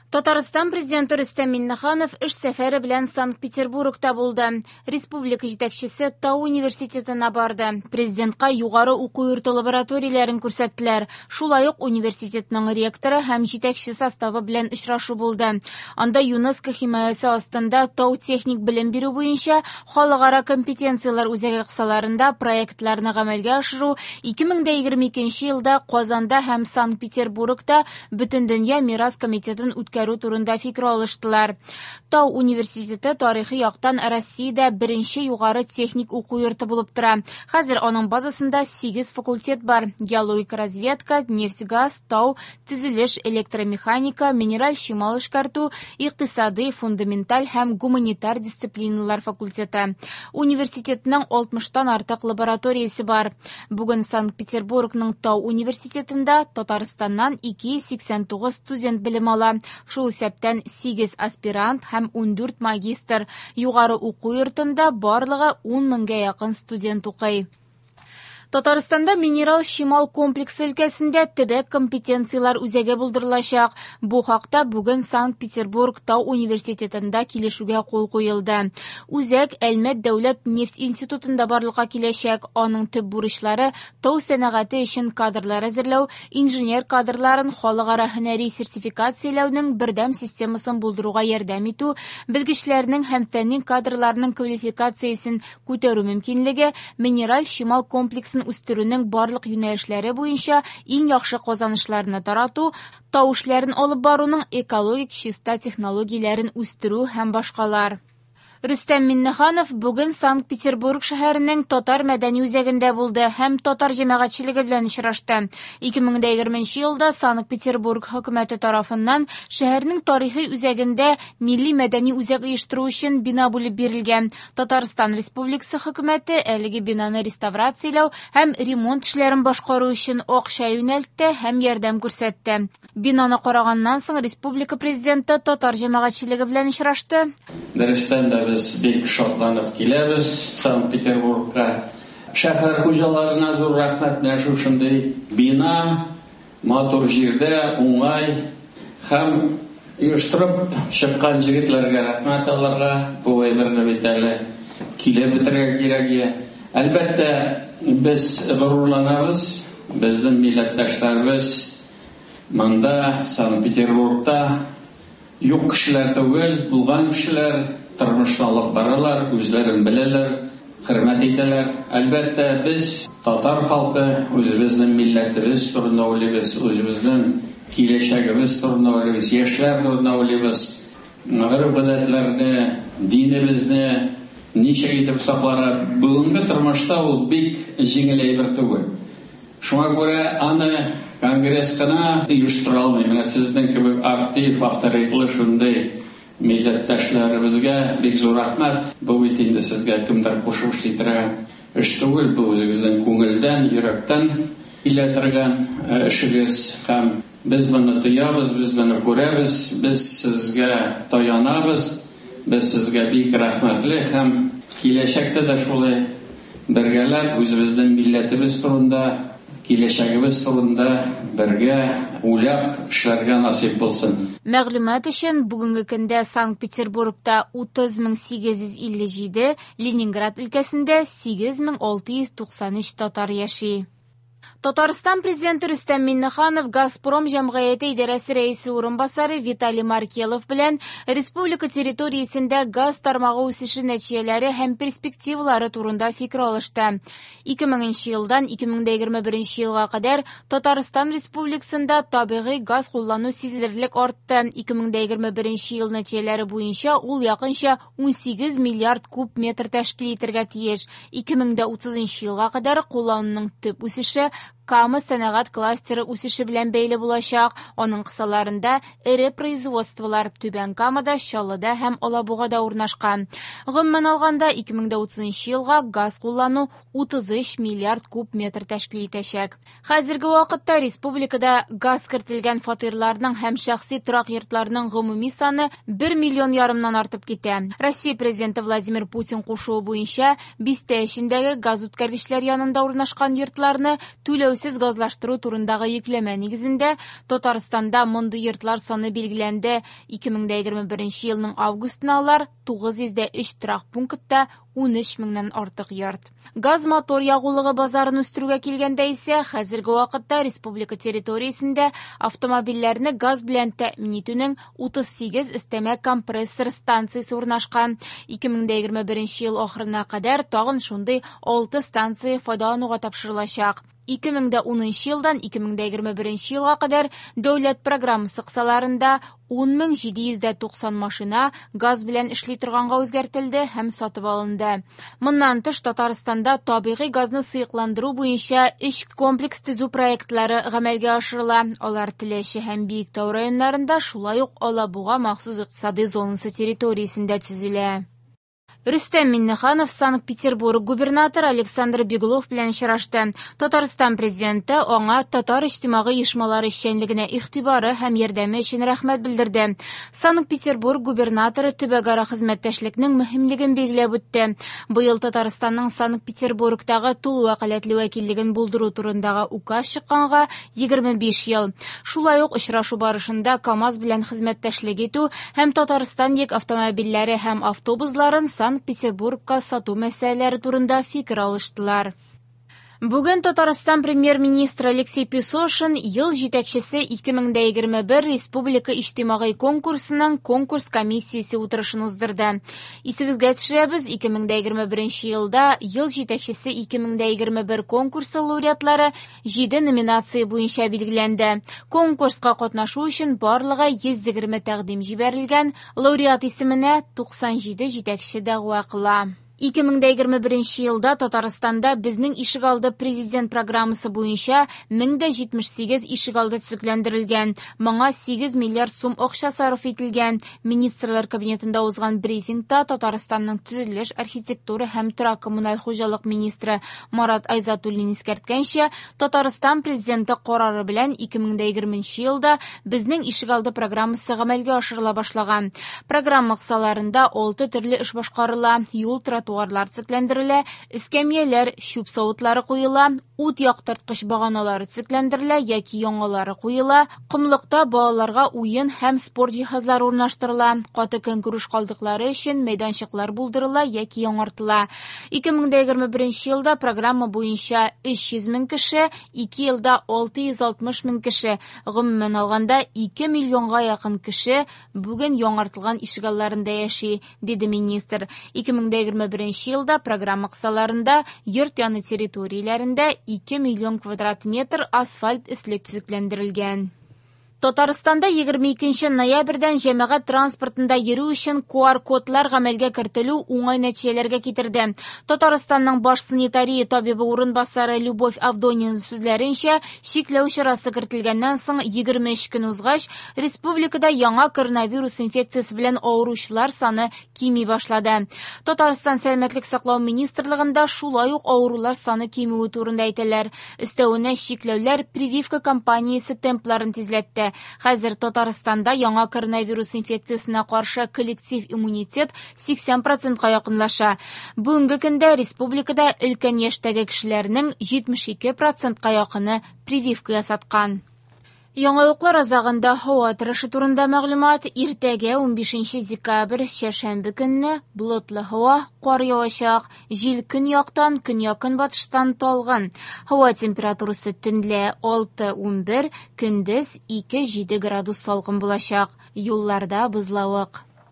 Татарстан Президенты Рөстәм Миңнеханов эш сәфәре белән Санкт-Петербургта булды. Республика җитәкчесе Тау университетына барды. Президентка югары уку йорты лабораторияләрен күрсәттеләр. Шулай ук университетның ректоры һәм җитәкче составы белән очрашу булды. Анда ЮНЕСКО химаясе астында тау техник белем бирү буенча халыкара компетенцияләр үзәге кысаларында проектларны гамәлгә ашыру, 2022 елда Казанда һәм Санкт-Петербургта Бөтендөнья мирас комитетын үткәрү турында фикер алыштылар. Тау университеты тарихи яктан Россиядә беренче югары техник уку йорты булып тора. Хәзер аның базасында 8 факультет бар: геологик разведка, нефть-газ, тау, төзелеш, электромеханика, минераль чимал эшкәртү, икътисадый, фундаменталь һәм гуманитар дисциплиналар факультеты. Университетның 60тан артык лабораториясе бар. Бүген Санкт-Петербургның Тау университетында Татарстаннан 289 студент белем ала. Шул исәптән 8 аспирант һәм 14 магистр. Югары уку йортында барлыгы 10 меңгә якын студент укый. Татарстанда минерал чимал комплексы өлкәсендә төбәк компетенцияләр үзәге булдырылачак. Бу хакта бүген Санкт-Петербург Тау университетында килешүгә кул куелды. Үзәк Әлмәт дәүләт нефть институтында барлыкка киләчәк. Аның төп бурычлары тау сәнәгате өчен кадрлар әзерләү, инженер кадрларын халыкара һөнәри сертификацияләүнең бердәм системасын булдыруга ярдәм итү, белгечләрнең һәм фәнни кадрларның квалификациясен күтәрү мөмкинлеге, минераль чимал комплексын үстерүнең барлык юнәлешләре буенча иң яхшы казанышларны тарату, тау эшләрен алып баруның экологик чиста технологияләрен үстерү һәм башкалар. Рөстәм Миңнеханов бүген Санкт-Петербург шәһәренең Татар мәдәни үзәгендә булды һәм татар җәмәгатьчелеге белән очрашты. 2020 елда Санкт-Петербург хөкүмәте тарафыннан шәһәрнең тарихи үзәгендә милли мәдәни үзәк оештыру өчен бина бүлеп бирелгән. Татарстан Республикасы хөкүмәте әлеге бинаны реставрацияләү һәм ремонт эшләрен башкару өчен акча юнәлтте һәм ярдәм күрсәтте. Бинаны караганнан соң республика президенты татар җәмәгатьчелеге белән очрашты. Дөрестән дә без бик шатланып киләбез Санкт-Петербургка. Шәһәр хуҗаларына зур рәхмәт, менә шушындый бина матур җирдә, уңай һәм оештырып чыккан җегетләргә рәхмәт аларга. Бу әйберне бит әле килеп бетерергә кирәк. Әлбәттә, без горурланабыз, безнең милләттәшләребез монда, Санкт-Петербургта юк кешеләр түгел, булган кешеләр тормышны алып баралар, үзләрен беләләр, хөрмәт итәләр. Әлбәттә, без татар халкы үзебезнең милләтебез турында уйлыйбыз, үзебезнең киләчәгебез турында уйлыйбыз, яшьләр турында уйлыйбыз. Гореф-гадәтләрне, динебезне ничек итеп сакларга. Бүгенге тормышта ул бик җиңел әйбер түгел. Шуңа күрә аны конгресс кына оештыра алмый. Менә сезнең кебек актив, авторитетлы шундый милләттәшләребезгә бик зур рәхмәт. Бу бит инде сезгә кемдер кушып эшли торган эш түгел, бу үзегезнең күңелдән, йөрәктән килә торган эшегез һәм без моны тоябыз, без моны күрәбез, без сезгә таянабыз, без сезгә бик рәхмәтле һәм киләчәктә дә шулай бергәләп үзебезнең милләтебез турында, киләчәгебез турында бергә уйлап эшләргә насыйп булсын. Мәгълүмат өчен, бүгенге көндә Санкт-Петербургта 30 857, Ленинград өлкәсендә 8693 татар яши. Татарстан президенты Рөстәм Миңнеханов Газпром җәмгыяте идарәсе рәисе урынбасары Виталий Маркелов белән республика территориясендә газ тармагы үсеше нәтиҗәләре һәм перспективалары турында фикер алышты. 2000 елдан 2021 елга кадәр Татарстан Республикасында табигый газ куллану сизелерлек артты. 2021 ел нәтиҗәләре буенча ул якынча 18 миллиард куб метр тәшкил итәргә тиеш. 2030 елга кадәр куллануның төп үсеше Кама сәнәгать кластеры үсеше белән бәйле булачак. Аның кысаларында эре производстволар Түбән Камада, Чаллыда һәм Алабугада урнашкан. Гомумән алганда, 2030 елга газ куллану 33 миллиард куб метр тәшкил итәчәк. Хәзерге вакытта республикада газ кертелгән фатирларның һәм шәхси торак йортларның гомуми саны 1 миллион ярымнан артып китә. Россия президенты Владимир Путин кушуы буенча бистә эчендәге газ үткәргечләр янында урнашкан йортларны түләүсез түләүсез газлаштыру турындагы йөкләмә нигезендә Татарстанда мондый йортлар саны билгеләнде. 2021 елның августына алар 903 торак пунктта 13 меңнән артык йорт. Газ-мотор ягулыгы базарын үстерүгә килгәндә исә, хәзерге вакытта республика территориясендә автомобильләрне газ белән тәэмин итүнең 38 өстәмә компрессор станциясе урнашкан. 2021 ел ахырына кадәр тагын шундый 6 станция файдалануга тапшырылачак. 2010 елдан 2021 елга кадәр дәүләт программасы кысаларында 10790 машина газ белән эшли торганга үзгәртелде һәм сатып алынды. Моннан тыш Татарстанда табигый газны сыекландыру буенча өч комплекс төзү проектлары гамәлгә ашырыла. Алар Теләче һәм Биектау районнарында, шулай ук Алабуга махсус икътисадый зонасы территориясендә төзелә. Рөстәм Миңнеханов Санкт-Петербург губернаторы Александр Беглов белән очрашты. Татарстан президенты аңа татар иҗтимагый оешмалары эшчәнлегенә игътибары һәм ярдәме өчен рәхмәт белдерде. Санкт-Петербург губернаторы төбәкара хезмәттәшлекнең мөһимлеген билгеләп үтте. Быел Татарстанның Санкт-Петербургтагы тулы вәкаләтле вәкиллеген булдыру турындагы указ чыкканга 25 ел. Шулай ук очрашу барышында КАМАЗ белән хезмәттәшлек итү һәм Татарстан йөк автомобильләре һәм автобусларын Санкт-Петербургка сату мәсьәләләре турында фикер алыштылар. Бүген Татарстан премьер-министры Алексей Песошин ел җитәкчесе 2021 республика иҗтимагый конкурсының конкурс комиссиясе утырышын уздырды. Исегезгә төшерәбез, 2021 елда ел җитәкчесе 2021 конкурсы лауреатлары 7 номинация буенча билгеләнде. Конкурска катнашу өчен барлыгы 120 тәкъдим җибәрелгән, лауреат исеменә 97 җитәкче дәгъва кыла. 2021 елда Татарстанда Безнең ишегалды президент программасы буенча 1078 ишегалды төзекләндерелгән. Моңа 8 миллиард сум акча сарыф ителгән. Министрлар кабинетында узган брифингта Татарстанның төзелеш, архитектура һәм торак коммуналь хуҗалык министры Марат Айзатуллин искәрткәнчә, Татарстан президенты карары белән 2020 елда Безнең ишегалды программасы гамәлгә ашырыла башлаган. Программа кысаларында 6 төрле эш башкарыла: юл, тротуарлар төзекләндерелә, эскәмияләр, чүп савытлары куела, ут яктырткыч баганалары төзекләндерелә яки яңалары куела, комлыкта балаларга уен һәм спорт җиһазлары урнаштырыла, каты көнкүреш калдыклары өчен мәйданчыклар булдырыла яки яңартыла. 2021 елда программа буенча 300 мең кеше, 2 елда 660 мең кеше, гомумән алганда 2 миллионга якын кеше бүген яңартылган ишегалларында яши, диде министр. 2021 елда программа кысаларында йорт яны территорияләрендә 2 миллион квадрат метр асфальт өслек төзекләндерелгән. Татарстанда 22 ноябрьдән җәмәгать транспортында йөрү өчен QR-кодлар гамәлгә кертелү уңай нәтиҗәләргә китерде. Татарстанның баш санитария табибы урынбасары Любовь Авдонина сүзләренчә, чикләү чарасы кертелгәннән соң 23 көн узгач, республикада яңа коронавирус инфекциясе белән авыручылар саны кими башлады. Татарстан сәламәтлек саклау министрлыгында шулай ук авырулар саны кимүе турында әйтәләр. Өстәвенә чикләүләр прививка кампаниясе темпларын тизләтте. Хәзер Татарстанда яңа коронавирус инфекциясенә каршы коллектив иммунитет 80%-ка якынлаша. Бүгенге көндә республикада өлкән яшьтәге кешеләрнең 72%-ка якыны прививка ясаткан. Яңалыклар азагында һава торышы турында мәгълүмат. Иртәгә 15 декабрь чәршәмбе көнне болытлы һава, кар явачак, җил көньяктан, көньяк-көнбатыштан талгын. Һава температурасы төнлә 6-11, көндез 2-7 градус салкын булачак. Юлларда бозлавык.